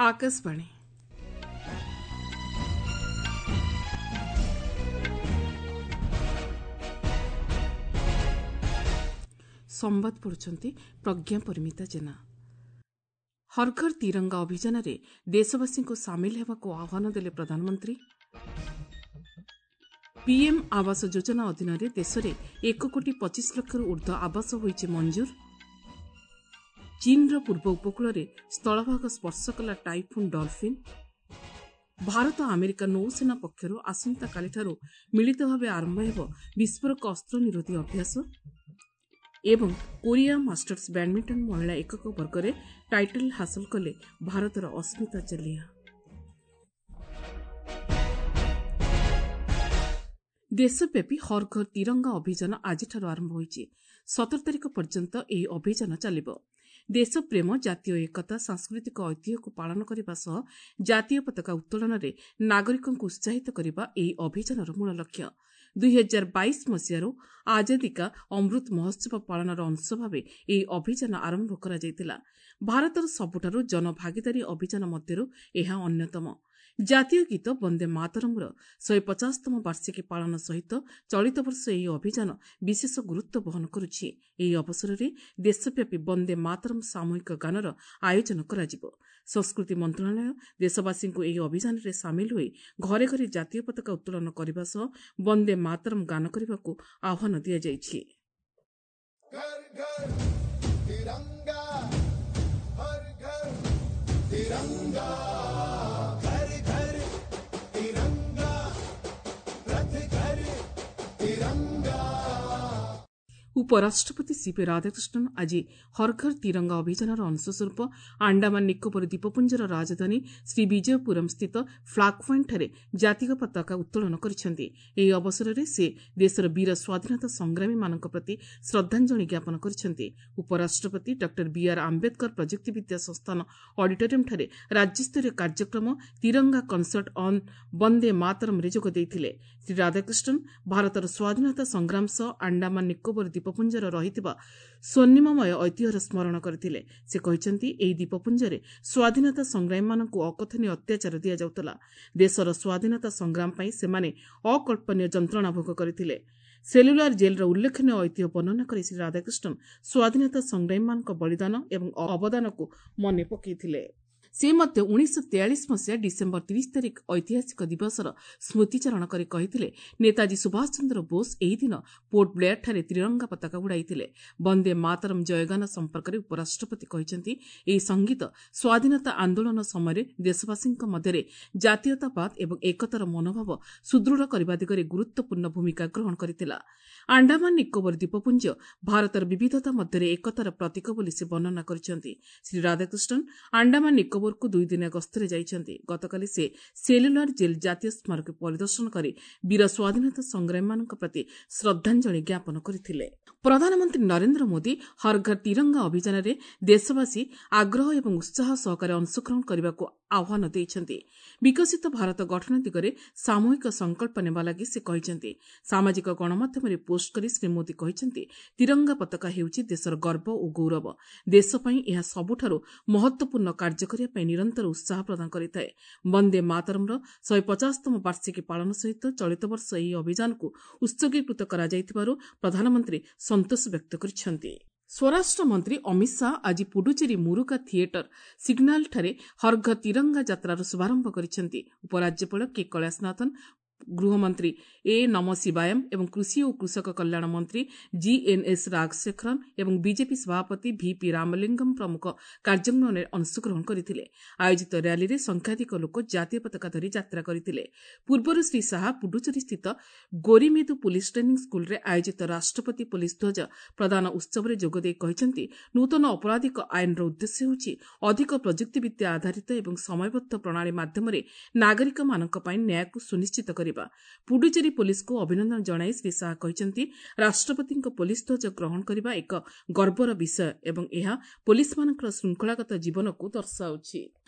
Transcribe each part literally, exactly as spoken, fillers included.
ଆକାଶବାଣୀ ସମ୍ବାଦ ପଢୁଛନ୍ତି ପ୍ରଜ୍ଞା ପରିମିତା ଜେନା। ହର୍ ଘର୍ ତିରଙ୍ଗା ଅଭିଯାନରେ ଦେଶବାସୀଙ୍କୁ ସାମିଲ ହେବାକୁ ଆହ୍ୱାନ ଦେଲେ ପ୍ରଧାନମନ୍ତ୍ରୀ। ପିଏମ୍ ଆବାସ ଯୋଜନା ଅଧୀନରେ ଦେଶରେ ଏକ କୋଟି ପଚିଶ ଲକ୍ଷରୁ ଊର୍ଦ୍ଧ୍ୱ ଆବାସ ହୋଇଛି ମଞ୍ଜୁର। ଚୀନ୍ର ପୂର୍ବ ଉପକୂଳରେ ସ୍ଥଳଭାଗ ସ୍ପର୍ଶ କଲା ଟାଇଫୁନ୍ ଡଲ୍ଫିନ୍। ଭାରତ ଆମେରିକା ନୌସେନା ପକ୍ଷରୁ ଆସନ୍ତାକାଲିଠାରୁ ମିଳିତ ଭାବେ ଆରମ୍ଭ ହେବ ବିସ୍ଫୋରକ ଅସ୍ତ୍ର ନିରୋଧୀ ଅଭ୍ୟାସ। ଏବଂ କୋରିଆ ମାଷ୍ଟର୍ସ ବ୍ୟାଡ୍ମିଣ୍ଟନ ମହିଳା ଏକକ ବର୍ଗରେ ଟାଇଟଲ୍ ହାସଲ କଲେ ଭାରତର ଅସ୍ମିତା ଚାଲିହା। ଦେଶବ୍ୟାପୀ ହର୍ ଘର୍ ତିରଙ୍ଗା ଅଭିଯାନ ଆଜିଠାରୁ ଆରମ୍ଭ ହୋଇଛି। ସତର ତାରିଖ ପର୍ଯ୍ୟନ୍ତ ଏହି ଅଭିଯାନ ଚାଲିବ। ଦେଶପ୍ରେମ, ଜାତୀୟ ଏକତା, ସାଂସ୍କୃତିକ ଐତିହ୍ୟକୁ ପାଳନ କରିବା ସହ ଜାତୀୟ ପତାକା ଉତ୍ତୋଳନରେ ନାଗରିକଙ୍କୁ ଉତ୍ସାହିତ କରିବା ଏହି ଅଭିଯାନର ମୂଳ ଲକ୍ଷ୍ୟ। ଦୁଇହଜାର ବାଇଶ ମସିହାରୁ ଆଜାଦୀ କା ଅମୃତ ମହୋତ୍ସବ ପାଳନର ଅଂଶ ଭାବେ ଏହି ଅଭିଯାନ ଆରମ୍ଭ କରାଯାଇଥିଲା। ଭାରତର ସବୁଠାରୁ ଜନଭାଗିଦାରୀ ଅଭିଯାନ ମଧ୍ୟରୁ ଏହା ଅନ୍ୟତମ। ଜାତୀୟ ଗୀତ ବନ୍ଦେ ମାତରମ୍ର ଶହେ ପଚାଶତମ ବାର୍ଷିକୀ ପାଳନ ସହିତ ଚଳିତ ବର୍ଷ ଏହି ଅଭିଯାନ ବିଶେଷ ଗୁରୁତ୍ୱ ବହନ କରୁଛି। ଏହି ଅବସରରେ ଦେଶବ୍ୟାପୀ ବନ୍ଦେ ମାତରମ୍ ସାମୂହିକ ଗାନର ଆୟୋଜନ କରାଯିବ। ସଂସ୍କୃତି ମନ୍ତ୍ରଣାଳୟ ଦେଶବାସୀଙ୍କୁ ଏହି ଅଭିଯାନରେ ସାମିଲ ହୋଇ ଘରେ ଘରେ ଜାତୀୟ ପତାକା ଉତ୍ତୋଳନ କରିବା ସହ ବନ୍ଦେ ମାତରମ୍ ଗାନ କରିବାକୁ ଆହ୍ୱାନ ଦିଆଯାଇଛି। ଉପରାଷ୍ଟ୍ରପତି ସିପି ରାଧାକୃଷ୍ଣନ୍ ଆଜି ହର୍ ଘର୍ ତିରଙ୍ଗା ଅଭିଯାନର ଅଂଶସ୍ୱରୂପ ଆଣ୍ଡାମାନ ନିକୋବର ଦ୍ୱୀପପୁଞ୍ଜର ରାଜଧାନୀ ଶ୍ରୀ ବିଜୟପୁରମ୍ ସ୍ଥିତ ଫ୍ଲାଗ୍ ପଏଣ୍ଟଠାରେ ଜାତୀୟ ପତାକା ଉତ୍ତୋଳନ କରିଛନ୍ତି। ଏହି ଅବସରରେ ସେ ଦେଶର ବୀର ସ୍ୱାଧୀନତା ସଂଗ୍ରାମୀମାନଙ୍କ ପ୍ରତି ଶ୍ରଦ୍ଧାଞ୍ଜଳି ଜ୍ଞାପନ କରିଛନ୍ତି। ଉପରାଷ୍ଟ୍ରପତି ଡକ୍ଟର ବିଆର୍ ଆମ୍ବେଦକର ପ୍ରଯୁକ୍ତିବିଦ୍ୟା ସଂସ୍ଥାନ ଅଡିଟୋରିୟମ୍ଠାରେ ରାଜ୍ୟସ୍ତରୀୟ କାର୍ଯ୍ୟକ୍ରମ ତିରଙ୍ଗା କନସର୍ଟ ଅନ୍ ବନ୍ଦେ ମାତରମ୍ରେ ଯୋଗ ଦେଇଥିଲେ। ଶ୍ରୀ ରାଧାକୃଷ୍ଣନ୍ ଭାରତର ସ୍ୱାଧୀନତା ସଂଗ୍ରାମ ସହ ଆଣ୍ଡାମାନ ନିକୋବର ଦ୍ୱୀପପୁଞ୍ଜର ରହିଥିବା ସ୍ୱର୍ଣ୍ଣିମମୟ ଐତିହ୍ୟର ସ୍ମରଣ କରିଥିଲେ। ସେ କହିଛନ୍ତି, ଏହି ଦ୍ୱୀପପୁଞ୍ଜରେ ସ୍ୱାଧୀନତା ସଂଗ୍ରାମୀମାନଙ୍କୁ ଅକଥନୀୟ ଅତ୍ୟାଚାର ଦିଆଯାଉଥିଲା। ଦେଶର ସ୍ୱାଧୀନତା ସଂଗ୍ରାମ ପାଇଁ ସେମାନେ ଅକଳ୍ପନୀୟ ଯନ୍ତ୍ରଣା ଭୋଗ କରିଥିଲେ। ସେଲୁଲାର ଜେଲ୍ର ଉଲ୍ଲେଖନୀୟ ଐତିହ୍ୟ ବର୍ଣ୍ଣନା କରି ଶ୍ରୀ ରାଧାକୃଷ୍ଣନ୍ ସ୍ୱାଧୀନତା ସଂଗ୍ରାମୀମାନଙ୍କ ବଳିଦାନ ଏବଂ ଅବଦାନକୁ ମନେ ପକାଇଥିଲେ। ସେ ମଧ୍ୟ ଉଣେଇଶହ ତେୟାଳିଶ ମସିହା ଡିସେମ୍ବର ତିରିଶ ତାରିଖ ଐତିହାସିକ ଦିବସର ସ୍ମୃତିଚାରଣ କରି କହିଥିଲେ, ନେତାଜୀ ସୁଭାଷ ଚନ୍ଦ୍ର ବୋଷ ଏହି ଦିନ ପୋର୍ଟ ବ୍ଲେୟାରଠାରେ ତ୍ରିରଙ୍ଗା ପତାକା ଉଡ଼ାଇଥିଲେ। ବନ୍ଦେ ମାତରମ୍ ଜୟଗାନ ସମ୍ପର୍କରେ ଉପରାଷ୍ଟ୍ରପତି କହିଛନ୍ତି, ଏହି ସଙ୍ଗୀତ ସ୍ୱାଧୀନତା ଆନ୍ଦୋଳନ ସମୟରେ ଦେଶବାସୀଙ୍କ ମଧ୍ୟରେ ଜାତୀୟତାବାଦ ଏବଂ ଏକତାର ମନୋଭାବ ସୁଦୃଢ଼ କରିବା ଦିଗରେ ଗୁରୁତ୍ୱପୂର୍ଣ୍ଣ ଭୂମିକା ଗ୍ରହଣ କରିଥିଲା। ଆଣ୍ଡାମାନ ନିକୋବର ଦ୍ୱୀପପୁଞ୍ଜ ଭାରତର ବିବିଧତା ମଧ୍ୟରେ ଏକତାର ପ୍ରତୀକ ବୋଲି ସେ ବର୍ଣ୍ଣନା କରିଛନ୍ତି। ଶ୍ରୀ ରାଧାକୃଷ୍ଣନ୍ ଆଣ୍ଡାମାନ ନିକୋବରକୁ ଦୁଇଦିନିଆ ଗସ୍ତରେ ଯାଇଛନ୍ତି। ଗତକାଲି ସେ ସେଲୁଲାର ଜେଲ୍ ଜାତୀୟ ସ୍ମାରକୀ ପରିଦର୍ଶନ କରି ବୀର ସ୍ୱାଧୀନତା ସଂଗ୍ରାମୀମାନଙ୍କ ପ୍ରତି ଶ୍ରଦ୍ଧାଞ୍ଜଳି ଜ୍ଞାପନ କରିଥିଲେ। ପ୍ରଧାନମନ୍ତ୍ରୀ ନରେନ୍ଦ୍ର ମୋଦି ହର୍ ଘର୍ ତିରଙ୍ଗା ଅଭିଯାନରେ ଦେଶବାସୀ ଆଗ୍ରହ ଏବଂ ଉତ୍ସାହ ସହକାରେ ଅଂଶଗ୍ରହଣ କରିବାକୁ ଆହ୍ୱାନ ଦେଇଛନ୍ତି। ବିକଶିତ ଭାରତ ଗଠନ ଦିଗରେ ସାମୂହିକ ସଂକଳ୍ପ ନେବା ଲାଗି ସେ କହିଛନ୍ତି। ସାମାଜିକ ଗଣମାଧ୍ୟମରେ ପୋଷ୍ଟ କରି ଶ୍ରୀ ମୋଦି କହିଛନ୍ତି, ତିରଙ୍ଗା ପତାକା ହେଉଛି ଦେଶର ଗର୍ବ ଓ ଗୌରବ। ଦେଶ ପାଇଁ ଏହା ସବୁଠାରୁ ମହତ୍ୱପୂର୍ଣ୍ଣ କାର୍ଯ୍ୟ କରିବା ପାଇଁ ନିରନ୍ତର ଉତ୍ସାହ ପ୍ରଦାନ କରିଥାଏ। ବନ୍ଦେ ମାତରମ୍ର ଶହେ ପଚାଶତମ ବାର୍ଷିକୀ ପାଳନ ସହିତ ଚଳିତ ବର୍ଷ ଏହି ଅଭିଯାନକୁ ଉତ୍ସର୍ଗୀକୃତ କରାଯାଇଥିବାରୁ ପ୍ରଧାନମନ୍ତ୍ରୀ ସନ୍ତୋଷ ବ୍ୟକ୍ତ କରିଛନ୍ତି। ସ୍ୱରାଷ୍ଟ୍ର ମନ୍ତ୍ରୀ ଅମିତ ଶାହା ଆଜି ପୁଡୁଚେରୀ ମୁରୁକା ଥିଏଟର ସିଗ୍ନାଲଠାରେ ହର୍ ଘର୍ ତିରଙ୍ଗା ଯାତ୍ରାର ଶୁଭାରମ୍ଭ କରିଛନ୍ତି। ଉପରାଜ୍ୟପାଳ କେ କୈଳାସନାଥନ, ଗୃହମନ୍ତ୍ରୀ ଏ ନମ ଶିବାୟମ୍ ଏବଂ କୃଷି ଓ କୃଷକ କଲ୍ୟାଣ ମନ୍ତ୍ରୀ ଜିଏନ୍ଏସ୍ ରାଜଶେଖରନ୍ ଏବଂ ବିଜେପି ସଭାପତି ଭିପି ରାମଲିଙ୍ଗମ୍ ପ୍ରମୁଖ କାର୍ଯ୍ୟକ୍ରମରେ ଅଂଶଗ୍ରହଣ କରିଥିଲେ। ଆୟୋଜିତ ର୍ୟାଲିରେ ସଂଖ୍ୟାଧିକ ଲୋକ ଜାତୀୟ ପତାକା ଧରି ଯାତ୍ରା କରିଥିଲେ। ପୂର୍ବରୁ ଶ୍ରୀ ଶାହା ପୁଡୁଚେରୀସ୍ଥିତ ଗୋରିମେଦୁ ପୁଲିସ୍ ଟ୍ରେନିଂ ସ୍କୁଲରେ ଆୟୋଜିତ ରାଷ୍ଟ୍ରପତି ପୁଲିସ୍ ଧ୍ୱଜ ପ୍ରଦାନ ଉତ୍ସବରେ ଯୋଗଦେଇ କହିଛନ୍ତି, ନୂତନ ଅପରାଧିକ ଆଇନର ଉଦ୍ଦେଶ୍ୟ ହେଉଛି ଅଧିକ ପ୍ରଯୁକ୍ତିବିଦ୍ୟା ଆଧାରିତ ଏବଂ ସମୟବଦ୍ଧ ପ୍ରଣାଳୀ ମାଧ୍ୟମରେ ନାଗରିକମାନଙ୍କ ପାଇଁ ନ୍ୟାୟକୁ ସୁନିଶ୍ଚିତ କରିବା। କରିବା। ପୁଡୁଚେରୀ ପୋଲିସକୁ ଅଭିନନ୍ଦନ ଜଣାଇ ଶ୍ରୀ ଶାହା କହିଛନ୍ତି, ରାଷ୍ଟ୍ରପତିଙ୍କ ପୋଲିସ ଧ୍ୱଜ ଗ୍ରହଣ କରିବା ଏକ ଗର୍ବର ବିଷୟ ଏବଂ ଏହା ପୋଲିସମାନଙ୍କର ଶୃଙ୍ଖଳାଗତ ଜୀବନକୁ ଦର୍ଶାଉଛି।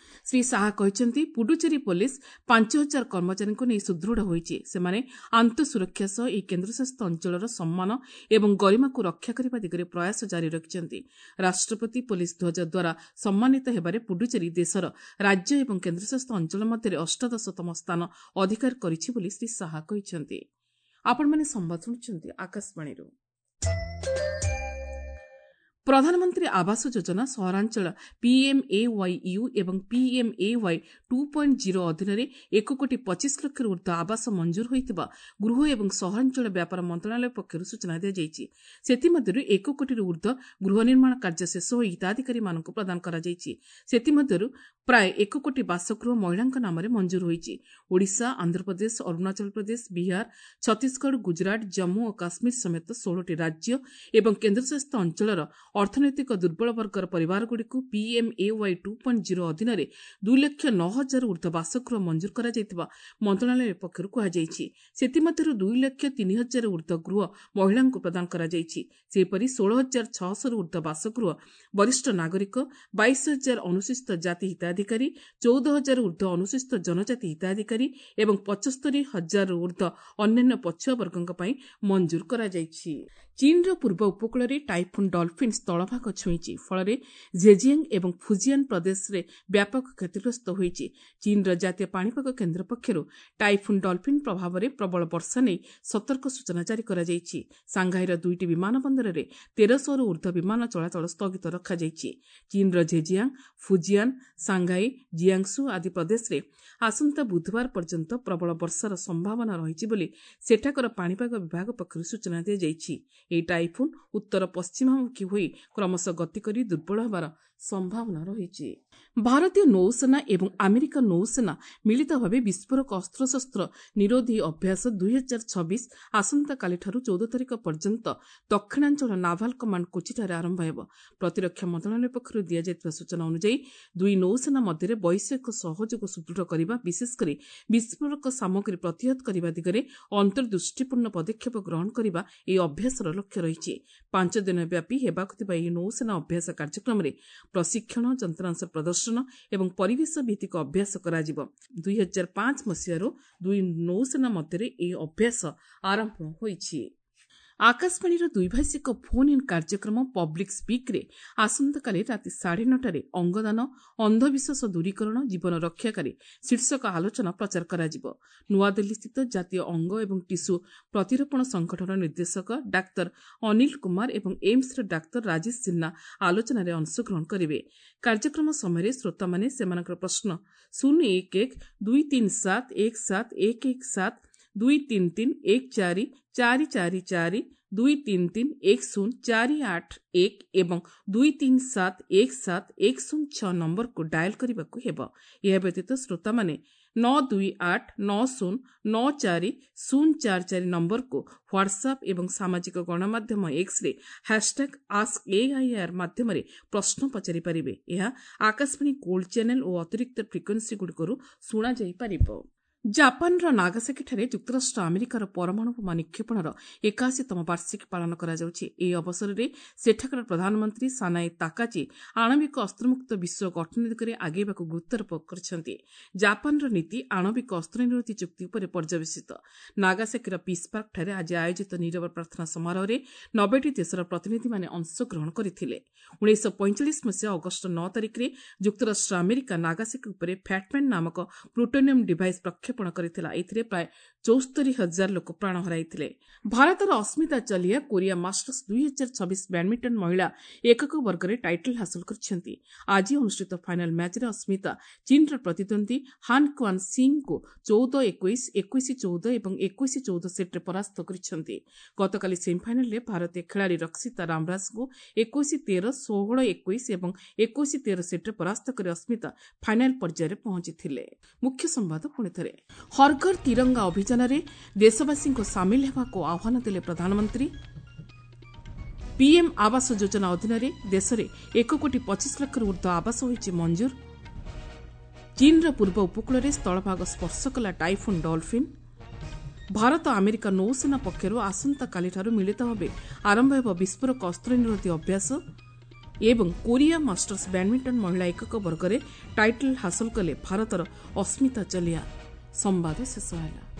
ଶ୍ରୀ ଶାହା କହିଛନ୍ତି, ପୁଡୁଚେରୀ ପୋଲିସ ପାଞ୍ଚ ହଜାର କର୍ମଚାରୀଙ୍କୁ ନେଇ ସୁଦୃଢ଼ ହୋଇଛି। ସେମାନେ ଆନ୍ତଃସୁରକ୍ଷା ସହ ଏହି କେନ୍ଦ୍ରଶାସିତ ଅଞ୍ଚଳର ସମ୍ମାନ ଏବଂ ଗରିମାକୁ ରକ୍ଷା କରିବା ଦିଗରେ ପ୍ରୟାସ ଜାରି ରଖିଛନ୍ତି। ରାଷ୍ଟ୍ରପତି ପୋଲିସ ଧ୍ୱଜ ଦ୍ୱାରା ସମ୍ମାନିତ ହେବାରେ ପୁଡୁଚେରୀ ଦେଶର ରାଜ୍ୟ ଏବଂ କେନ୍ଦ୍ରଶାସିତ ଅଞ୍ଚଳ ମଧ୍ୟରେ ଅଷ୍ଟାଦଶତମ ସ୍ଥାନ ଅଧିକାର କରିଛି ବୋଲି ଶ୍ରୀ ଶାହା କହିଛନ୍ତି। ଆପଣମାନେ ସମ୍ବାଦ ଶୁଣୁଛନ୍ତି ଆକାଶବାଣୀରୁ। ପ୍ରଧାନମନ୍ତ୍ରୀ ଆବାସ ଯୋଜନା ସହରାଞ୍ଚଳ ପିଏମ୍ଏୱାଇୟୁ ଏବଂ ପିଏମ୍ଏୱାଇ ଟୁ ପଏଣ୍ଟ ଜିରୋ ଅଧୀନରେ ଏକ କୋଟି ପଚିଶ ଲକ୍ଷରୁ ଉର୍ଦ୍ଧ୍ୱ ଆବାସ ମଞ୍ଜୁର ହୋଇଥିବା ଗୃହ ଏବଂ ସହରାଞ୍ଚଳ ବ୍ୟାପାର ମନ୍ତ୍ରଣାଳୟ ପକ୍ଷରୁ ସୂଚନା ଦିଆଯାଇଛି। ସେଥିମଧ୍ୟରୁ ଏକ କୋଟିରୁ ଉର୍ଦ୍ଧ୍ୱ ଗୃହ ନିର୍ମାଣ କାର୍ଯ୍ୟ ଶେଷ ହୋଇ ହିତାଧିକାରୀମାନଙ୍କୁ ପ୍ରଦାନ କରାଯାଇଛି। ସେଥିମଧ୍ୟରୁ ପ୍ରାୟ ଏକ କୋଟି ବାସଗୃହ ମହିଳାଙ୍କ ନାମରେ ମଞ୍ଜୁର ହୋଇଛି। ଓଡ଼ିଶା, ଆନ୍ଧ୍ରପ୍ରଦେଶ, ଅରୁଣାଚଳ ପ୍ରଦେଶ, ବିହାର, ଛତିଶଗଡ଼, ଗୁଜରାଟ, ଜମ୍ମୁ ଓ କାଶ୍ମୀର ସମେତ ଷୋହଳଟି ରାଜ୍ୟ ଏବଂ କେନ୍ଦ୍ରଶାସିତ ଅଞ୍ଚଳର ଅର୍ଥନୈତିକ ଦୁର୍ବଳ ବର୍ଗର ପରିବାରଗୁଡ଼ିକୁ ପିଏମ୍ଏୱାଇ ଟୁ ପଏଣ୍ଟ ଜିରୋ ଅଧୀନରେ ଦୁଇ ଲକ୍ଷ ନଅ ହଜାର ଉର୍ଦ୍ଧ୍ୱ ବାସଗୃହ ମଞ୍ଜୁର କରାଯାଇଥିବା ମନ୍ତ୍ରଣାଳୟ ପକ୍ଷରୁ କୁହାଯାଇଛି। ସେଥିମଧ୍ୟରୁ ଦୁଇ ଲକ୍ଷ ତିନି ହଜାର ଉର୍ଦ୍ଧ୍ୱ ଗୃହ ମହିଳାଙ୍କୁ ପ୍ରଦାନ କରାଯାଇଛି। ସେହିପରି ଷୋହଳ ହଜାର ଛଅଶହରୁ ଉର୍ଦ୍ଧ୍ୱ ବାସଗୃହ ବରିଷ୍ଠ ନାଗରିକ, ବାଇଶ ହଜାର ଅନୁସୂଚିତ ଜାତି ହିତାଧିକାରୀ, ଚଉଦ ହଜାର ଉର୍ଦ୍ଧ୍ୱ ଅନୁସୂଚିତ ଜନଜାତି ହିତାଧିକାରୀ ଏବଂ ପଞ୍ଚସ୍ତରୀ ହଜାରରୁ ଉର୍ଦ୍ଧ୍ୱ ଅନ୍ୟାନ୍ୟ ପଛୁଆ ବର୍ଗଙ୍କ ପାଇଁ ମଞ୍ଜୁର କରାଯାଇଛି। ଚୀନର ପୂର୍ବ ଉପକୂଳରେ ଟାଇଫୁନ୍ ଡଲଫିନ୍ ସ୍ଥଳଭାଗ ଛୁଇଁଛି। ଫଳରେ ଝେଜିଆଙ୍ଗ ଏବଂ ଫୁଜିଆନ୍ ପ୍ରଦେଶରେ ବ୍ୟାପକ କ୍ଷତିଗ୍ରସ୍ତ ହୋଇଛି। ଚୀନର ଜାତୀୟ ପାଣିପାଗ କେନ୍ଦ୍ର ପକ୍ଷରୁ ଟାଇଫୁନ୍ ଡଲଫିନ୍ ପ୍ରଭାବରେ ପ୍ରବଳ ବର୍ଷା ନେଇ ସତର୍କ ସୂଚନା ଜାରି କରାଯାଇଛି। ସାଂଘାଇର ଦୁଇଟି ବିମାନ ବନ୍ଦରରେ ତେରଶହରୁ ଉର୍ଦ୍ଧ୍ୱ ବିମାନ ଚଳାଚଳ ସ୍ଥଗିତ ରଖାଯାଇଛି। ଚୀନର ଝେଜିଆଙ୍ଗ, ଫୁଜିଆନ୍, ସାଂଘାଇ, ଜିଆଙ୍ଗସୁ ଆଦି ପ୍ରଦେଶରେ ଆସନ୍ତା ବୁଧବାର ପର୍ଯ୍ୟନ୍ତ ପ୍ରବଳ ବର୍ଷାର ସମ୍ଭାବନା ରହିଛି ବୋଲି ସେଠାକାର ପାଣିପାଗ ବିଭାଗ ପକ୍ଷରୁ ସୂଚନା ଦିଆଯାଇଛି। ଏହି ଟାଇଫୁନ୍ ଉତ୍ତର ପଶ୍ଚିମାମୁଖୀ ହୋଇ କ୍ରମଶଃ ଗତି କରି ଦୁର୍ବଳ ହେବାର ସମ୍ଭାବନା ରହିଛି। ଭାରତୀୟ ନୌସେନା ଏବଂ ଆମେରିକା ନୌସେନା ମିଳିତ ଭାବେ ବିସ୍ଫୋରକ ଅସ୍ତ୍ରଶସ୍ତ୍ର ନିରୋଧୀ ଅଭ୍ୟାସ ଦୁଇ ହଜାର ଛବିଶ ଆସନ୍ତାକାଲିଠାରୁ ଚଉଦ ତାରିଖ ପର୍ଯ୍ୟନ୍ତ ଦକ୍ଷିଣାଞ୍ଚଳ ନାଭାଲ କମାଣ୍ଡ କୋଚିଠାରେ ଆରମ୍ଭ ହେବ। ପ୍ରତିରକ୍ଷା ମନ୍ତ୍ରଣାଳୟ ପକ୍ଷରୁ ଦିଆଯାଇଥିବା ସୂଚନା ଅନୁଯାୟୀ ଦୁଇ ନୌସେନା ମଧ୍ୟରେ ବୈଷୟିକ ସହଯୋଗ ସୁଦୃଢ଼ କରିବା, ବିଶେଷ କରି ବିସ୍ଫୋରକ ସାମଗ୍ରୀ ପ୍ରତିହତ କରିବା ଦିଗରେ ଅନ୍ତର୍ଦୃଷ୍ଟିପୂର୍ଣ୍ଣ ପଦକ୍ଷେପ ଗ୍ରହଣ କରିବା ଏହି ଅଭ୍ୟାସର ଲକ୍ଷ୍ୟ ରହିଛି। ପାଞ୍ଚ ଦିନ ବ୍ୟାପୀ ହେବାକୁ ଥିବା ଏହି ନୌସେନା ଅଭ୍ୟାସ କାର୍ଯ୍ୟକ୍ରମରେ ପ୍ରଶିକ୍ଷଣ, ଯନ୍ତ୍ରାଂଶ ପ୍ରଦର୍ଶନ ଏବଂ ପରିବେଶ ଭିତ୍ତିକ ଅଭ୍ୟାସ କରାଯିବ। ଦୁଇ ହଜାର ପାଞ୍ଚ ମସିହାରୁ ଦୁଇ ନୌସେନା ମଧ୍ୟରେ ଏହି ଅଭ୍ୟାସ ଆରମ୍ଭ ହୋଇଛି। ଆକାଶବାଣୀର ଦ୍ୱିଭାଷିକ ଫୋନ୍ ଇନ୍ କାର୍ଯ୍ୟକ୍ରମ ପବ୍ଲିକ୍ ସ୍ପିକ୍ରେ ଆସନ୍ତାକାଲି ରାତି ସାଢ଼େ ନଅଟାରେ ଅଙ୍ଗଦାନ, ଅନ୍ଧବିଶ୍ୱାସ ଦୂରୀକରଣ, ଜୀବନ ରକ୍ଷାକାରୀ ଶୀର୍ଷକ ଆଲୋଚନା ପ୍ରଚାର କରାଯିବ। ନୂଆଦିଲ୍ଲୀସ୍ଥିତ ଜାତୀୟ ଅଙ୍ଗ ଏବଂ ଟିସୁ ପ୍ରତିରୋପଣ ସଂଗଠନର ନିର୍ଦ୍ଦେଶକ ଡାକ୍ତର ଅନିଲ କୁମାର ଏବଂ ଏମ୍ସର ଡାକ୍ତର ରାଜେଶ ସିହ୍ନା ଆଲୋଚନାରେ ଅଂଶଗ୍ରହଣ କରିବେ। କାର୍ଯ୍ୟକ୍ରମ ସମୟରେ ଶ୍ରୋତାମାନେ ସେମାନଙ୍କର ପ୍ରଶ୍ନ ଶୂନ ଏକ ଏକ ଦୁଇ ତିନି ସାତ ଏକ ସାତ ଏକ ଏକ ସାତ ଦୁଇ ତିନି ତିନି ଏକ ଚାରି ଚାରି ଚାରି ଚାରି ଦୁଇ ତିନି ତିନି ଏକ ଶୂନ ଚାରି ଆଠ ଏକ ଏବଂ ଦୁଇ ତିନି ସାତ ଏକ ସାତ ଏକ ଶୂନ ଛଅ ନମ୍ବରକୁ ଡାଏଲ୍ କରିବାକୁ ହେବ। ଏହା ବ୍ୟତୀତ ଶ୍ରୋତାମାନେ ନଅ ଦୁଇ ଆଠ ନଅ ଶୂନ ନଅ ଚାରି ଶୂନ ଚାରି ଚାରି ନମ୍ବରକୁ ହ୍ୱାଟ୍ସଆପ୍ ଏବଂ ସାମାଜିକ ଗଣମାଧ୍ୟମ ଏକ୍ସରେ ହ୍ୟାସଟ୍ୟାଗ୍ ଆସ୍କ ଏଆଇଆର୍ ମାଧ୍ୟମରେ ପ୍ରଶ୍ନ ପଚାରିପାରିବେ। ଏହା ଆକାଶବାଣୀ ଗୋଲ୍ଡ ଚ୍ୟାନେଲ୍ ଓ ଅତିରିକ୍ତ ଫ୍ରିକ୍ୱେନ୍ସିଗୁଡ଼ିକରୁ ଶୁଣାଯାଇପାରିବ। ଜାପାନର ନାଗାସାକିଠାରେ ଯୁକ୍ତରାଷ୍ଟ୍ର ଆମେରିକାର ପରମାଣୁ ବୋମା ନିକ୍ଷେପଣର ଏକାଅଶୀତମ ବାର୍ଷିକୀ ପାଳନ କରାଯାଉଛି। ଏହି ଅବସରରେ ସେଠାକାର ପ୍ରଧାନମନ୍ତ୍ରୀ ସାନାଏ ତାକାଚି ଆଣବିକ ଅସ୍ତ୍ରମୁକ୍ତ ବିଶ୍ୱ ଗଠନ ଦିଗରେ ଆଗେଇବାକୁ ଗୁରୁତ୍ୱାରୋପ କରିଛନ୍ତି। ଜାପାନର ନୀତି ଆଣବିକ ଅସ୍ତ୍ର ନିରୋଧୀ ଚୁକ୍ତି ଉପରେ ପର୍ଯ୍ୟବସିତ। ନାଗାସାକିର ପିସ୍ ପାର୍କଠାରେ ଆଜି ଆୟୋଜିତ ନୀରବ ପ୍ରାର୍ଥନା ସମାରୋହରେ ନବେଟି ଦେଶର ପ୍ରତିନିଧିମାନେ ଅଂଶଗ୍ରହଣ କରିଥିଲେ। ଉଣେଇଶହ ପଇଁଚାଳିଶ ମସିହା ଅଗଷ୍ଟ ନଅ ତାରିଖରେ ଯୁକ୍ତରାଷ୍ଟ୍ର ଆମେରିକା ନାଗାସାକି ଉପରେ ଫ୍ୟାଟମ୍ୟାନ୍ ନାମକ ପ୍ଲୁଟୋନିୟମ୍ ଡିଭାଇସ୍ ପ୍ରକ୍ଷେପଣ କରିଥିଲା। ଏଥିରେ ପ୍ରାୟ ଚଉସ୍ତରୀ ହଜାର ଲୋକ ପ୍ରାଣ ହରାଇଥିଲେ। ଭାରତର ଅସ୍ମିତା ଚଲିଆ କୋରିଆ ମାଷ୍ଟର୍ସ ଦୁଇ ହଜାର ଛବିଶ ବ୍ୟାଡମିଣ୍ଟନ ମହିଳା ଏକକ ବର୍ଗରେ ଟାଇଟଲ୍ ହାସଲ କରିଛନ୍ତି। ଆଜି ଅନୁଷ୍ଠିତ ଫାଇନାଲ ମ୍ୟାଚ୍ରେ ଅସ୍ମିତା ଚୀନର ପ୍ରତିଦ୍ୱନ୍ଦ୍ୱୀ ହାନ୍ କ୍ୱାନ୍ ସିଂଙ୍କୁ ଚଉଦ ଏକୋଇଶ, ଏକୋଇଶ ଚଉଦ ଏବଂ ଏକୋଇଶ ଚଉଦ ସେଟ୍ରେ ପରାସ୍ତ କରିଛନ୍ତି। ଗତକାଲି ସେମିଫାଇନାଲରେ ଭାରତୀୟ ଖେଳାଳି ରକ୍ଷିତା ରାମରାଜଙ୍କୁ ଏକୋଇଶ ତେର, ଷୋହଳ ଏକୋଇଶ ଏବଂ ଏକୋଇଶ ତେର ସେଟ୍ରେ ପରାସ୍ତ କରି ଅସ୍ମିତା ଫାଇନାଲ ପର୍ଯ୍ୟାୟରେ ପହଞ୍ଚିଥିଲେ। ମୁଖ୍ୟ ସମ୍ବାଦ ପୁଣି ଥରେ। ହରଘର ତିରଙ୍ଗା ଅଭିଯାନରେ ଦେଶବାସୀଙ୍କୁ ସାମିଲ ହେବାକୁ ଆହ୍ୱାନ ଦେଲେ ପ୍ରଧାନମନ୍ତ୍ରୀ। ପିଏମ୍ ଆବାସ ଯୋଜନା ଅଧୀନରେ ଦେଶରେ ଏକ କୋଟି ପଚିଶ ଲକ୍ଷରୁ ଉର୍ଦ୍ଧ୍ୱ ଆବାସ ହୋଇଛି ମଞ୍ଜୁର। ଚୀନର ପୂର୍ବ ଉପକୂଳରେ ସ୍ଥଳଭାଗ ସ୍ପର୍ଶ କଲା ଟାଇଫୁନ୍ ଡଲଫିନ୍। ଭାରତ ଆମେରିକା ନୌସେନା ପକ୍ଷରୁ ଆସନ୍ତାକାଲିଠାରୁ ମିଳିତ ଭାବେ ଆରମ୍ଭ ହେବ ବିସ୍ଫୋରକ ଅସ୍ତ୍ର ନିରୋଧୀ ଅଭ୍ୟାସ। ଏବଂ କୋରିଆ ମାଷ୍ଟର୍ସ ବ୍ୟାଡ୍ମିଣ୍ଟନ ମହିଳା ଏକକ ବର୍ଗରେ ଟାଇଟଲ୍ ହାସଲ କଲେ ଭାରତର ଅସ୍ମିତା ଚଲିହା। ସମ୍ବାଦ ଶେଷ ହେଲା।